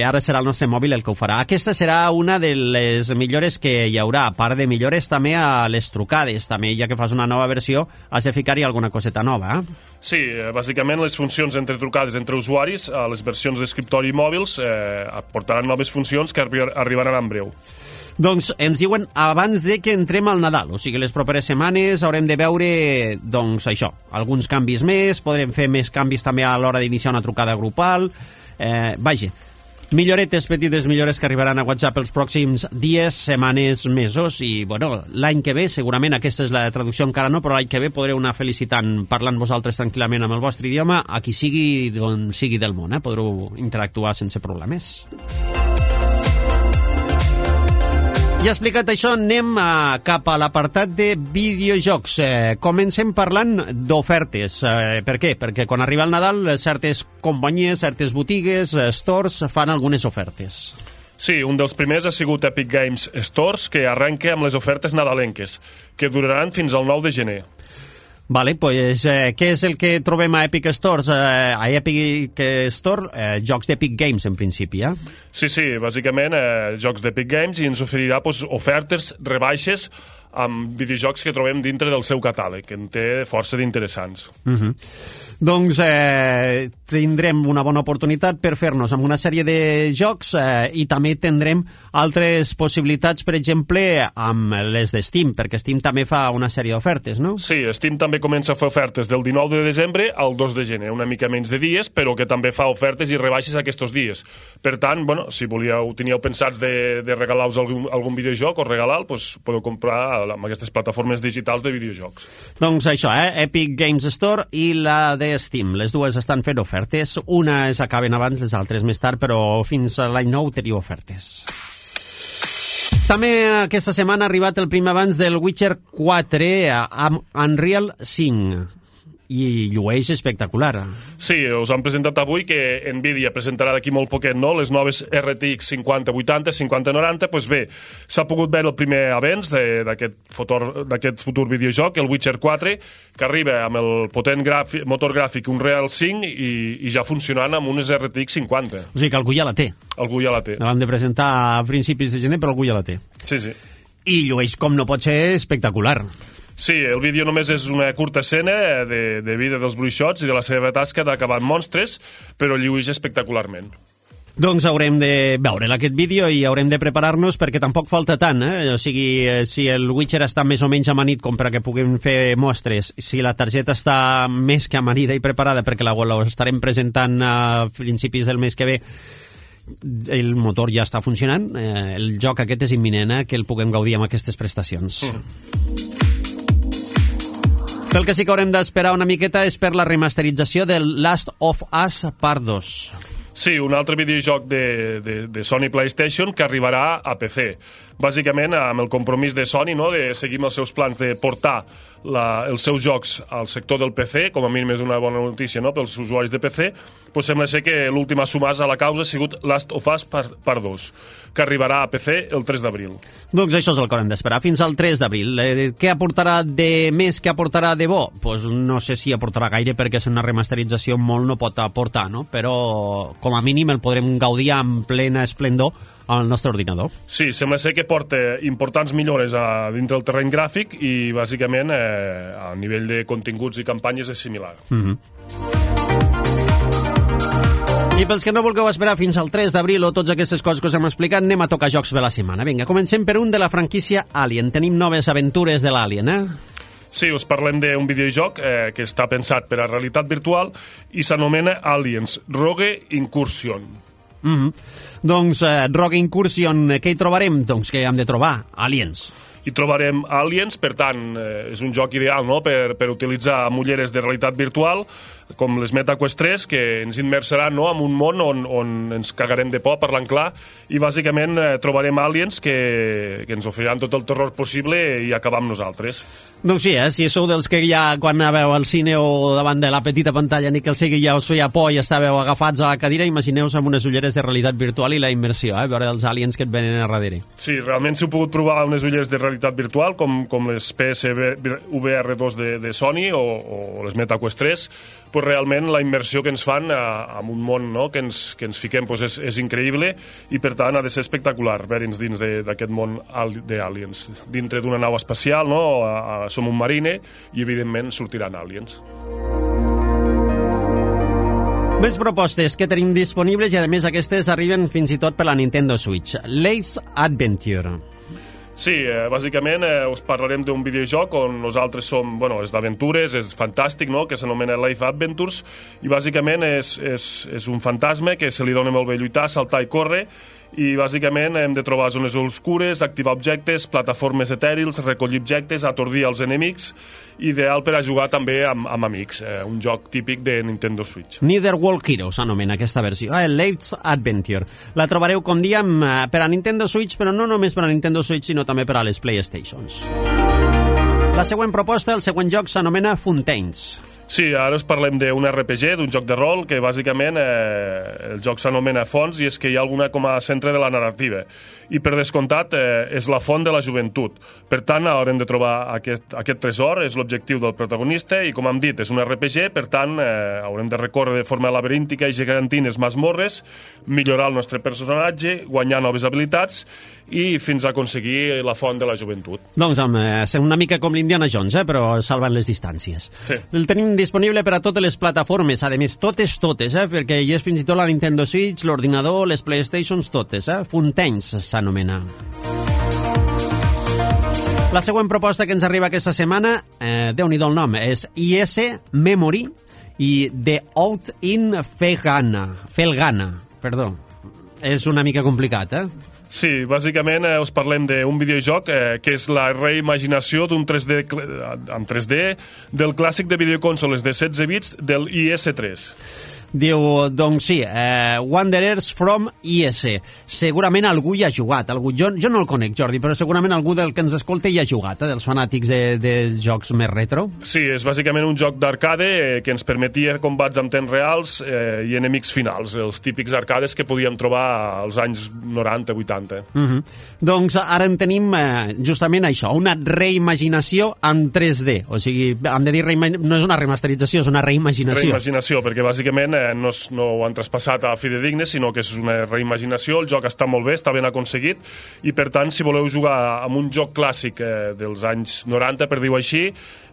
Ara serà el nostre mòbil el que ho farà. Aquesta serà una de les millores que hi haurà. A part de millores també a les trucades. També, ja que fas una nova versió, has de ficar-hi alguna coseta nova, Sí, bàsicament les funcions entre trucades entre usuaris a les versions d'escriptori i mòbils aportaran noves funcions que arribaran en breu. Doncs ens diuen abans de que entrem al Nadal, o sigui, les properes setmanes haurem de veure, doncs, això, alguns canvis més, podrem fer més canvis també a l'hora d'iniciar una trucada grupal, vaja, milloretes, petites millores que arribaran a WhatsApp els pròxims dies, setmanes, mesos, i, bueno, l'any que ve, segurament, aquesta és la traducció encara no, però l'any que ve podreu anar felicitant, parlant vosaltres tranquil·lament amb el vostre idioma, a qui sigui, d'on sigui del món, podreu interactuar sense problemes. I explicat això, anem cap a l'apartat de videojocs. Comencem parlant d'ofertes. Per què? Perquè quan arriba el Nadal, certes companyies, certes botigues, stores, fan algunes ofertes. Sí, un dels primers ha sigut Epic Games Stores, que arrenca amb les ofertes nadalenques, que duraran fins al 9 de gener. Vale, pues, què és el que trobem a Epic Stores? A Epic Store, jocs d'Epic Games, en principi, Sí, bàsicament, jocs d'Epic Games, i ens oferirà ofertes, rebaixes, amb videojocs que trobem dintre del seu catàleg, que en té força d'interessants. Doncs tindrem una bona oportunitat per fer-nos amb una sèrie de jocs i també tindrem altres possibilitats, per exemple, amb les de Steam, perquè Steam també fa una sèrie d'ofertes, no? Sí, Steam també comença a fer ofertes del 19 de desembre al 2 de gener, una mica menys de dies, però que també fa ofertes i rebaixes aquests dies. Per tant, bueno, si teníeu pensats de regalar-vos algun videojoc o regalar-lo, doncs podeu comprar amb aquestes plataformes digitals de videojocs. Doncs això, Epic Games Store i la de Steam. Les dues estan fent ofertes. Unes acaben abans, les altres més tard, però fins a l'any nou teniu ofertes. També aquesta setmana ha arribat el primer avanç del Witcher 4 amb Unreal 5. I llueix espectacular. Sí, us han presentat avui que Nvidia presentarà d'aquí molt poquet, no?, les noves RTX 5080, 5090. Doncs bé, s'ha pogut veure el primer avenç d'aquest futur videojoc, el Witcher 4, que arriba amb el potent motor gràfic Unreal 5 i ja funcionant amb unes RTX 50. O sigui que algú ja la té. Algú ja la té. La van de presentar a principis de gener, però algú ja la té. Sí. I llueix, com no pot ser, espectacular. Sí, el vídeo només és una curta escena de vida dels bruixots i de la seva tasca d'acabar amb monstres, però llueix espectacularment. Doncs haurem de veure aquest vídeo i haurem de preparar-nos perquè tampoc falta tant, O sigui, si el Witcher està més o menys amanit com perquè puguem fer mostres, si la targeta està més que amanida i preparada perquè la estarem presentant a principis del mes que ve, el motor ja està funcionant, el joc aquest és imminent, que el puguem gaudir amb aquestes prestacions. El que sí que haurem d'esperar una miqueta és per la remasterització del Last of Us Part 2. Sí, un altre videojoc de Sony PlayStation que arribarà a PC. Bàsicament, amb el compromís de Sony, no?, de seguir amb els seus plans de portar els seus jocs al sector del PC, com a mínim és una bona notícia, no?, pels usuaris de PC, doncs sembla ser que l'última sumàs a la causa ha sigut Last of Us Part 2, que arribarà a PC el 3 d'abril. Doncs això és el que haurem d'esperar, fins al 3 d'abril. Què aportarà de més, què aportarà de bo? Doncs no sé si aportarà gaire, perquè és una remasterització molt no pot aportar, no? Però com a mínim el podrem gaudir amb plena esplendor al nostre ordinador. Sí, sembla ser que porta importants millores dintre el terreny gràfic i bàsicament a nivell de continguts i campanyes és similar. I pels que no vulgueu esperar fins al 3 d'abril o totes aquestes coses que us hem explicat, anem a tocar jocs de la setmana. Vinga, comencem per un de la franquícia Alien. Tenim noves aventures de l'Alien, Sí, us parlem d'un videojoc que està pensat per a realitat virtual i s'anomena Aliens Rogue Incursion. Doncs, Rogue Incursion, què hi trobarem? Doncs què hem de trobar? Aliens. Hi trobarem Aliens, per tant, és un joc ideal, no?, per utilitzar ulleres de realitat virtual, com les MetaQuest 3, que ens immersaran, no?, en un món on ens cagarem de por, parlant clar, i bàsicament trobarem aliens que ens oferiran tot el terror possible i acabar amb nosaltres. Doncs sí, si sou dels que ja quan anàveu al cine o davant de la petita pantalla ni que el sigui ja us feia por i estàveu agafats a la cadira, imagineu-vos amb unes ulleres de realitat virtual i la immersió, veure els aliens que et venen a darrere. Sí, realment si heu pogut provar unes ulleres de realitat virtual com les PSVR2 de Sony o les MetaQuest 3, pues realment la immersió que ens fan en un món, no?, que ens fiquem pues és increïble i per tant ha de ser espectacular veure'ns dins d'aquest món d'aliens, dintre d'una nau espacial, no?, som un marine i evidentment sortiran aliens. Més propostes que tenim disponibles i a més aquestes arriben fins i tot per la Nintendo Switch. Life's Adventure. Sí, bàsicament us parlarem d'un videojoc on nosaltres som, és d'aventures, és fantàstic, no?, que s'anomena Life Adventures, i bàsicament és un fantasma que se li dona molt bé lluitar, saltar i córrer, i bàsicament hem de trobar zones obscures, activar objectes, plataformes etèrils, recollir objectes, atordir els enemics, ideal per a jugar també amb amics, un joc típic de Nintendo Switch. Netherworld Heroes s'anomena aquesta versió, Life's Adventure. La trobareu, com diem, per a Nintendo Switch, però no només per a Nintendo Switch, sinó també per a les PlayStations. La següent proposta, el següent joc, s'anomena Fontaines. Sí, ara us parlem d'un RPG, d'un joc de rol, que bàsicament el joc s'anomena Fonts i és que hi ha alguna com a centre de la narrativa. I per descomptat és la font de la joventut. Per tant, haurem de trobar aquest tresor, és l'objectiu del protagonista i, com hem dit, és un RPG, per tant, haurem de recórrer de forma laberíntica i gegantines masmorres, millorar el nostre personatge, guanyar noves habilitats i fins a aconseguir la font de la joventut. Doncs, home, una mica com l'Indiana Jones, però salvant les distàncies. Sí. El tenim disponible per a totes les plataformes, a més, totes, perquè hi és fins i tot la Nintendo Switch, l'ordinador, les PlayStations, totes, Fontaines s'anomena. La següent proposta que ens arriba aquesta setmana, Déu-n'hi-do el nom, és IS Memory i The Oath in Felghana, perdó. És una mica complicat, Sí, bàsicament us parlem d'un videojoc que és la reimaginació d'un 3D en 3D del clàssic de videoconsoles de 16 bits del IS-3. Diu, doncs sí, Wanderers from IS. Segurament algú hi ha jugat. Jo no el conec, Jordi, però segurament algú del que ens escolta hi ha jugat, dels fanàtics de jocs més retro. Sí, és bàsicament un joc d'arcade que ens permetia combats amb temps reals i enemics finals, els típics arcades que podíem trobar als anys 90-80. Doncs ara en tenim justament això, una reimaginació en 3D. O sigui, hem de dir, no és una remasterització, és una reimaginació. Reimaginació, perquè bàsicament no ho han traspassat a fidedignes, sinó que és una reimaginació. El joc està molt bé, està ben aconseguit, i per tant, si voleu jugar amb un joc clàssic dels anys 90, per dir-ho així,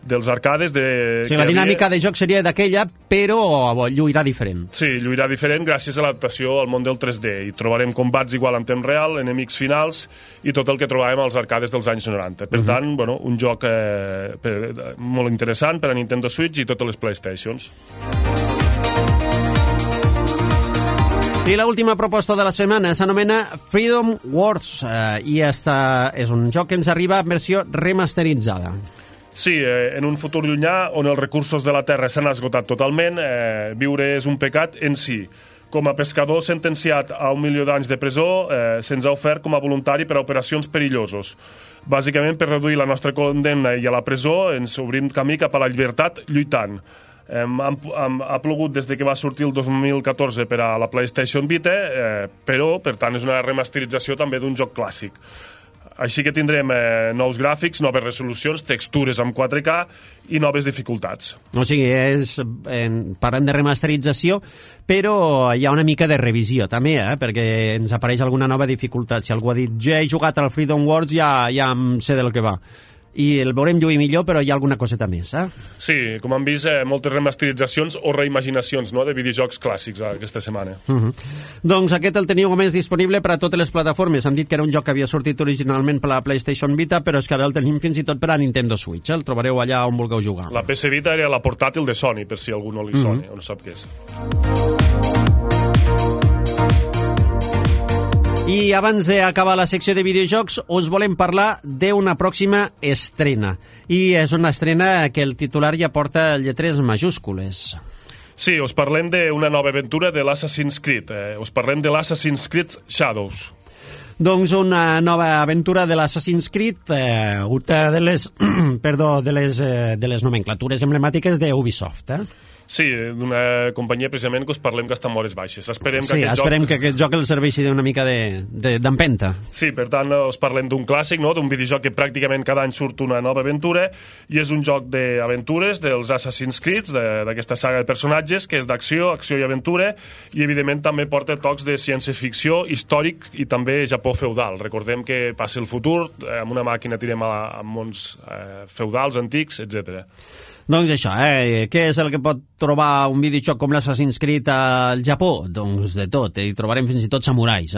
dels arcades... Sí, la dinàmica de joc seria d'aquella, però lluirà diferent. Sí, lluirà diferent gràcies a l'adaptació al món del 3D. I trobarem combats igual en temps real, enemics finals i tot el que trobàvem als arcades dels anys 90. Per tant, un joc molt interessant per a Nintendo Switch i totes les PlayStations. I l'última proposta de la setmana s'anomena Freedom Wars i és un joc que ens arriba en versió remasteritzada. Sí, en un futur llunyà on els recursos de la Terra s'han esgotat totalment, viure és un pecat en si. Com a pescador sentenciat a 1 milió d'anys de presó, se'ns ha ofert com a voluntari per a operacions perillosos. Bàsicament, per reduir la nostra condemna i a la presó, ens obrim camí cap a la llibertat lluitant. Ha plogut des que va sortir el 2014 per a la PlayStation Vita, però, per tant, és una remasterització també d'un joc clàssic. Així que tindrem nous gràfics, noves resolucions, textures amb 4K i noves dificultats. O sigui, parlem de remasterització, però hi ha una mica de revisió també, perquè ens apareix alguna nova dificultat. Si algú ha dit, ja he jugat al Freedom Wars, ja em sé del que va. I el veurem lluir millor, però hi ha alguna coseta més, Sí, com hem vist, moltes remasteritzacions o reimaginacions de videojocs clàssics aquesta setmana. Doncs aquest el teniu més disponible per a totes les plataformes. Hem dit que era un joc que havia sortit originalment per a la PlayStation Vita, però és que ara el tenim fins i tot per a Nintendo Switch. El trobareu allà on vulgueu jugar. La PS Vita era la portàtil de Sony, per si algú no li soni o no sap què és. I abans d'acabar la secció de videojocs us volem parlar d'una pròxima estrena. I és una estrena que el titular ja porta lletres majúscules. Sí, us parlem d'una nova aventura de l'Assassin's Creed. Us parlem de l'Assassin's Creed Shadows. Doncs una nova aventura de l'Assassin's Creed, una de les nomenclatures emblemàtiques d'Ubisoft, Sí, d'una companyia precisament que us parlem que està en hores baixes. Esperem que aquest joc el serveixi una mica d'empenta. Sí, per tant, us parlem d'un clàssic, no? D'un videojoc que pràcticament cada any surt una nova aventura, i és un joc d'aventures dels Assassin's Creed, d'aquesta saga de personatges, que és d'acció, acció i aventura, i evidentment també porta tocs de ciència-ficció, històric i també Japó feudal. Recordem que passa el futur, amb una màquina tirem a mons feudals, antics, etc. Doncs això, què és el que pot trobar un videojoc com l'Assassin's Creed al Japó? Doncs de tot, hi trobarem fins i tot samurais,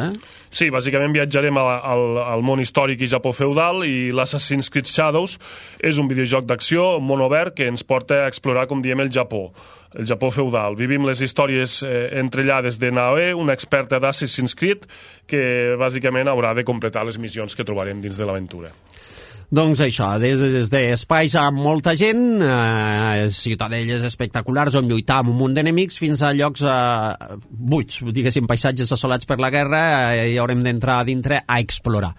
Sí, bàsicament viatjarem al món històric i Japó feudal, i l'Assassin's Creed Shadows és un videojoc d'acció, món obert, que ens porta a explorar, com diem, el Japó feudal. Vivim les històries entrellades de Naoe, una experta d'Assassin's Creed, que bàsicament haurà de completar les missions que trobarem dins de l'aventura. Doncs això, des d'espais amb molta gent, ciutadelles espectaculars on lluitar amb un munt d'enemics, fins a llocs buits, diguéssim, paisatges assolats per la guerra, i haurem d'entrar a dintre a explorar.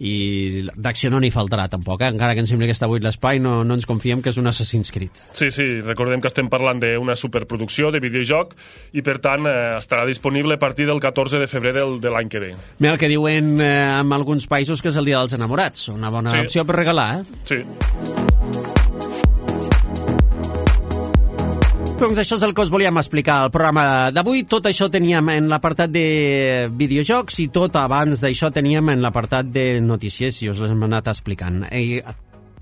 I d'acció no n'hi faltarà tampoc, encara que ens sembli que està buit l'espai, no ens confiem que és un Assassin's Creed. Sí, recordem que estem parlant d'una superproducció de videojoc, i per tant estarà disponible a partir del 14 de febrer de l'any que ve. Mira el que diuen en alguns països que és el Dia dels Enamorats, una bona opció per regalar, Sí. Doncs això és el que us volíem explicar al programa d'avui. Tot això teníem en l'apartat de videojocs, i tot abans d'això teníem en l'apartat de notícies, i us les hem anat explicant.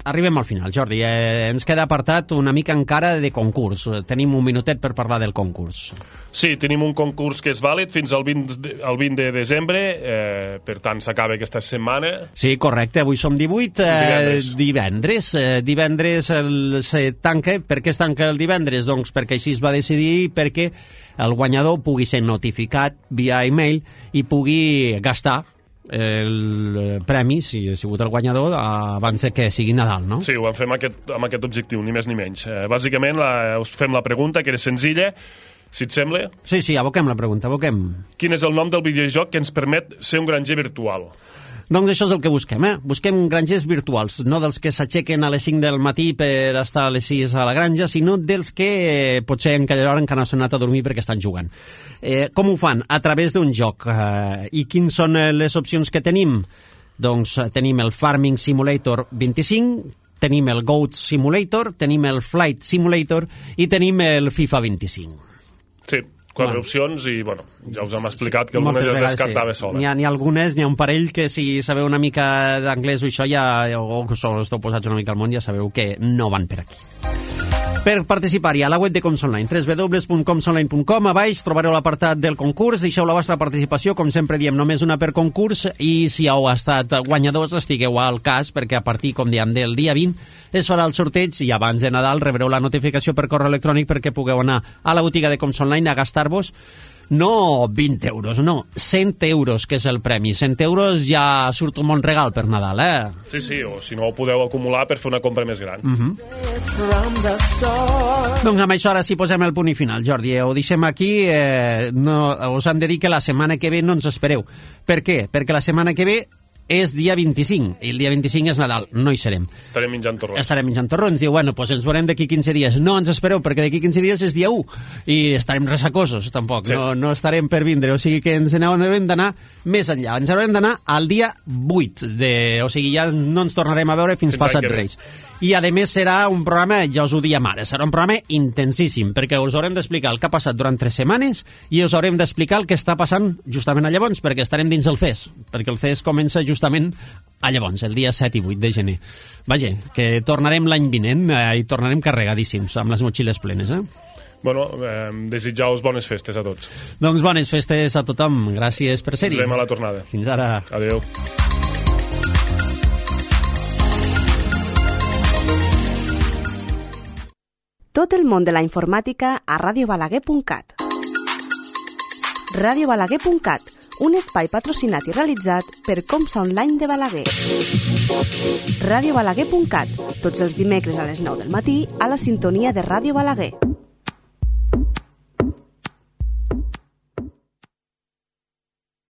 Arribem al final, Jordi. Ens queda apartat una mica encara de concurs. Tenim un minutet per parlar del concurs. Sí, tenim un concurs que és vàlid fins al 20 de desembre, per tant s'acaba aquesta setmana. Sí, correcte, avui som 18, divendres se tanca. Per què es tanca el divendres? Doncs perquè així es va decidir, perquè el guanyador pugui ser notificat via e-mail i pugui gastar el premi, si ha sigut el guanyador, abans que sigui Nadal, no? Sí, ho vam fer amb aquest objectiu, ni més ni menys. Bàsicament us fem la pregunta, que era senzilla, si et sembla. Sí, aboquem la pregunta, Quin és el nom del videojoc que ens permet ser un granger virtual? Doncs això és el que busquem, Busquem grangers virtuals, no dels que s'aixequen a les 5 del matí per estar a les 6 a la granja, sinó dels que potser en aquella hora encara no s'han anat a dormir perquè estan jugant. Com ho fan? A través d'un joc. I quines són les opcions que tenim? Doncs tenim el Farming Simulator 25, tenim el Goat Simulator, tenim el Flight Simulator i tenim el FIFA 25. Sí, 4 opcions, i ja us hem explicat que algunes ja descartava sola. N'hi ha algunes, n'hi ha un parell que si sabeu una mica d'anglès o això o que esteu posats una mica al món, ja sabeu que no van per aquí. Per participar-hi a la web de Coms Online, www.comsonline.com, a baix trobareu l'apartat del concurs, deixeu la vostra participació, com sempre diem, només una per concurs, i si heu estat guanyadors estigueu al cas, perquè a partir, com diem, del dia 20 es farà el sorteig, i abans de Nadal rebreu la notificació per correu electrònic perquè pugueu anar a la botiga de Coms Online a gastar-vos no 20 euros, no, 100 euros, que és el premi. 100 euros ja surt un bon regal per Nadal, Sí, o si no ho podeu acumular per fer una compra més gran. Doncs amb això ara sí posem el punt i final, Jordi. Ho deixem aquí. Us hem de dir que la setmana que ve no ens espereu. Per què? Perquè la setmana que ve és dia 25, i el dia 25 és Nadal, no hi serem. Estarem menjant torrons. Diu, doncs ens veurem d'aquí 15 dies. No ens espereu, perquè d'aquí 15 dies és dia 1, i estarem ressacosos, tampoc. Sí. No estarem per vindre, o sigui que ens haurem d'anar més enllà. Ens haurem d'anar al dia 8, o sigui, ja no ens tornarem a veure fins passat Reis. I a més serà un programa, ja us ho diem ara, serà un programa intensíssim, perquè us haurem d'explicar el que ha passat durant 3 setmanes i us haurem d'explicar el que està passant justament a llavors, perquè estarem dins el CES, perquè el CES comença justament a llavors, el dia 7 i 8 de gener. Vaja, que tornarem l'any vinent i tornarem carregadíssims, amb les motxilles plenes, desitjar-vos bones festes a tots. Doncs bones festes a tothom, gràcies per ser-hi. Ens veiem a la tornada. Fins ara. Adéu. Tot el món de la informàtica a radiobalaguer.cat. radiobalaguer.cat, un espai patrocinat i realitzat per Comsa Online de Balaguer. radiobalaguer.cat, tots els dimecres a les 9 del matí a la sintonia de Ràdio Balaguer.